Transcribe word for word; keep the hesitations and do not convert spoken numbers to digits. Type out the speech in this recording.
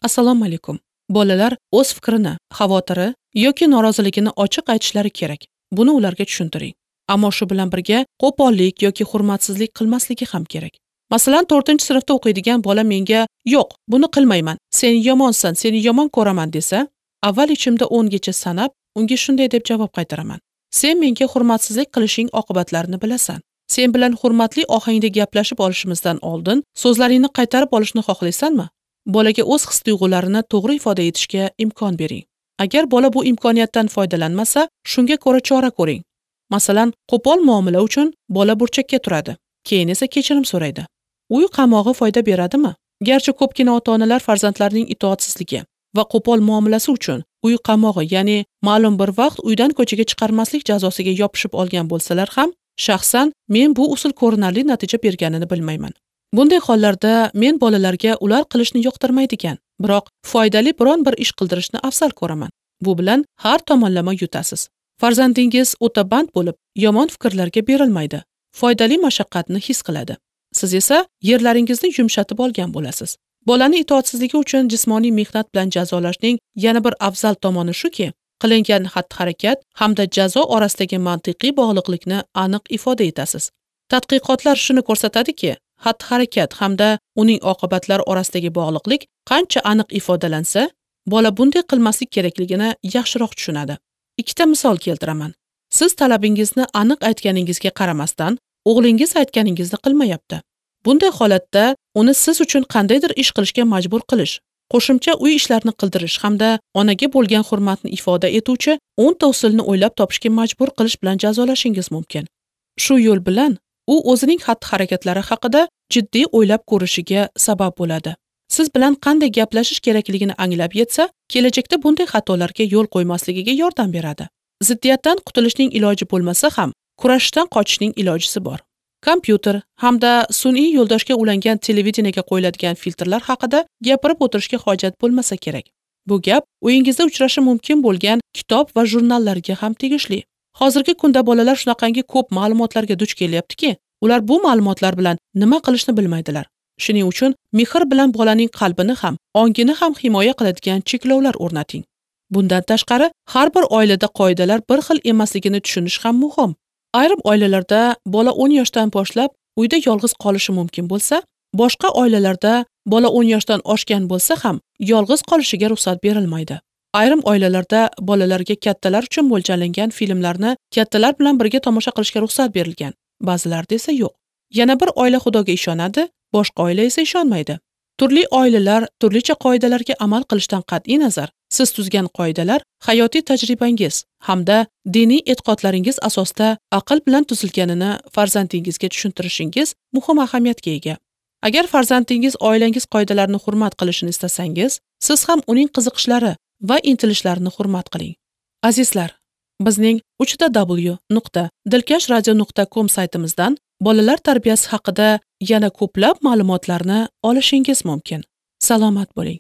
Assalomu alaykum. Bolalar o'z fikrini, xavotiri yoki noroziligini ochiq aytishlari kerak. Buni ularga tushuntiring. Ammo shu bilan birga qo'pollik yoki hurmatsizlik qilmasligi ham kerak. Masalan, to'rtinchi sinfda o'qiydigan bola menga "Yo'q, buni qilmayman. Sen yomonsan, seni yomon ko'raman" desa, avval ichimda o'ngacha sanab, unga shunday deb javob qaytaraman. Sen menga hurmatsizlik qilishing oqibatlarini bilasan. Sen bilan hurmatli ohangda gaplashib olishimizdan oldin so'zlaringni qaytarib olishni xohlaysanmi? Bolaga o'z his-tuyg'ularini to'g'ri ifoda etishga imkon bering. Agar bola bu imkoniyatdan foydalanmasa, shunga ko'ra chora ko'ring. Masalan, qo'pol muomala uchun bola burchakka turadi, keyin esa kechirim so'raydi. Uy qamog'i foyda beradimi? Garchi ko'pgina ota-onalar farzandlarining itoatsizligi va qo'pol muomalasi uchun uy qamog'i, ya'ni ma'lum bir vaqt uydan ko'chaga chiqarmaslik jazosiga yopishib olgan bo'lsalar ham, shaxsan men bu usul ko'rinarli natija berganini bilmayman. Bunday hollarda men bolalarga ular qilishni yoqtirmaydigan, biroq foydali biron bir ish qildirishni afzal ko'raman. Bu bilan har tomonlama yutasiz. Farzandingiz o'ta band bo'lib, yomon fikrlarga berilmaydi, foydali mashaqqatni his qiladi. Siz esa yerlaringizni yumshatib olgan bo'lasiz. Bolani itoatsizligi uchun jismoniy mehnat bilan jazolashning yana bir afzal tomoni shuki, qilingan xatti-harakat hamda jazo orasidagi mantiqiy bog'liqlikni aniq ifoda etasiz. Tadqiqotlar shuni ko'rsatadiki, xatti-harakat hamda uning oqibatlari orasidagi bog'liqlik qancha aniq ifodalansa, bola bunday qilmaslik kerakligini yaxshiroq tushunadi. Ikkita misol keltiraman. Siz talabingizni aniq aytganingizga qaramasdan, o'g'lingiz aytganingizni qilmayapti. Bunday holatda uni siz uchun qandaydir ish qilishga majbur qilish, qo'shimcha uy ishlarini qildirish hamda onaga bo'lgan hurmatni ifoda etuvchi o'nta usulni o'ylab topishga majbur qilish bilan jazolashingiz mumkin. Shu yo'l bilan u o'zining xatti-harakatlari haqida jiddiy o'ylab ko'rishiga sabab bo'ladi. Siz bilan qanday gaplashish kerakligini anglab yetsa, kelajakda bunday xatolarga yo'l qo'ymasligiga yordam beradi. Ziddiyatdan qutulishning iloji bo'lmasa ham, kurashishdan qochishning ilojisi bor. Kompyuter hamda sun'iy yo'ldoshga ulangan televideniyaga qo'yiladigan filtrlar haqida gapirib o'tirishga hojat bo'lmasa kerak. Bu gap uyingizda uchrashi mumkin bo'lgan kitob va jurnallarga ham tegishli. Hozirgi kunda bolalar shunaqangi ko'p ma'lumotlarga duch kelyaptiki, ular bu ma'lumotlar bilan nima qilishni bilmaydilar. Shuning uchun mehr bilan bolaning qalbini ham, ongini ham himoya qiladigan cheklovlar o'rnating. Bundan tashqari, har bir oilada qoidalar bir xil emasligini tushunish ham muhim. Ayrim oilalarda bola o'n yoshdan boshlab uyda yolg'iz qolishi mumkin bo'lsa, boshqa oilalarda bola o'n yoshdan oshgan bo'lsa ham yolg'iz qolishiga ruxsat berilmaydi. Ayrim oilalarda bolalarga kattalar uchun mo'ljallangan filmlarni kattalar bilan birga tomosha qilishga ruxsat berilgan, ba'zilarda esa yo'q. Yana bir oila Xudoga ishonadi, boshqa oila esa ishonmaydi. Turli oilalar turlicha qoidalarga amal qilishdan qat'iy nazar, siz tuzgan qoidalar hayotiy tajribangiz hamda diniy e'tiqodlaringiz asosida aql bilan tuzilganini farzandingizga tushuntirishingiz muhim ahamiyatga ega. Agar farzandingiz oilangiz qoidalarini hurmat qilishini istasangiz, siz ham uning qiziqishlari va intilishlarini hurmat qiling. Azizlar, bizning uch w nuqta dilkash radio nuqta com saytimizdan bolalar tarbiyasi haqida yana ko'plab ma'lumotlarni olishingiz mumkin. Salomat bo'ling.